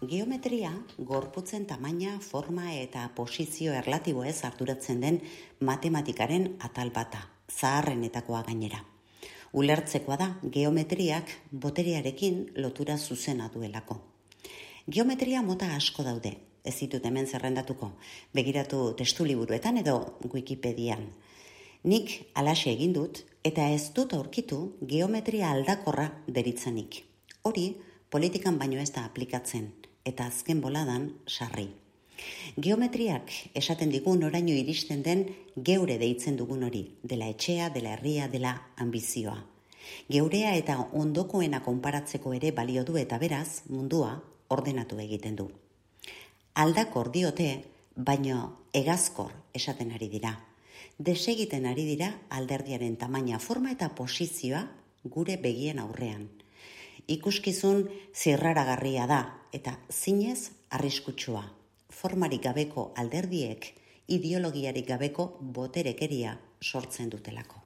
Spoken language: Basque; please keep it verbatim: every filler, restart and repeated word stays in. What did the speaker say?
Geometria gorputzen tamaina, forma eta posizio erlatiboez arduratzen den matematikaren atal bata, zaharrenetakoa gainera. Ulertzekoa da geometriak boterearekin lotura zuzena duelako. Geometria mota asko daude, ez ditut hemen zerrendatuko, begiratu testu liburuetan edo Wikipedian. Nik alaxe egin dut eta ez dut aurkitu geometria aldakorra deritzanik. Hori politikan baino ez da aplikatzen, eta azken boladan sarri. Geometriak esaten digun oraino iristen den geure deitzen dugun hori, dela etxea, dela herria, dela ambizioa. Geurea eta ondokoena konparatzeko ere balio du eta beraz mundua ordenatu egiten du. Aldakor diote, baino hegazkor esaten ari dira. Desegiten ari dira alderdiaren tamaina, forma eta posizioa gure begien aurrean. Ikuskizun zirraragarria da eta zinez arriskutsua. Formarik gabeko alderdiek ideologiarik gabeko boterekeria sortzen dutelako.